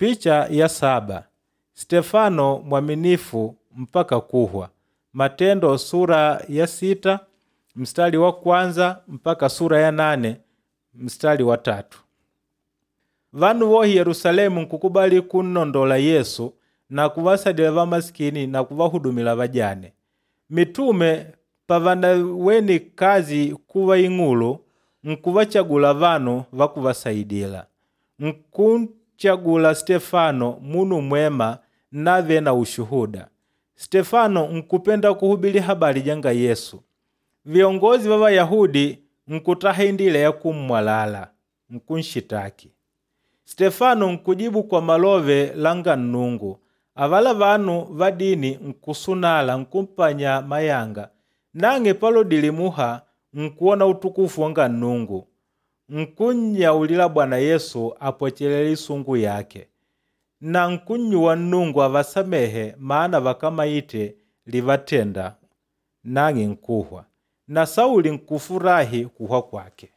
Picha ya 7. Stefano mwaminifu mpaka kuhwa. Matendo sura ya 6 mstari wa 1 mpaka sura ya 8 mstari wa 3. Vanu wohi Yerusalemu nkukubali kunnondola Yesu na kuvasadila vamasikini na kuvahudumila vajane. Mitume pavanaweni kazi kuva ing'ulu nkuvachagula vanu vakuvasaidila. Nkunchagula Stefano munu mwema nave na ushuhuda. Stefano nkupenda kuhubili habari janga Yesu. Viongozi va Vayahudi nkutaha indila ya kummwalala, nkunshitaki. Stefano nkujibu kwa malove langa Nnungu. Avala vanu va dini nkusunala nkumpanya mayanga. Nang'e palodile muha nkuwona utukufu wanga Nnungu. Nkunnyaulila Bwana Yesu apwechelele isungu yake. Na nkunnyuwa Nnungu avasamehe maana vakamaite livatenda, nang'e nkuhwa. Na Sauli nkufurahi kuhwa kwake.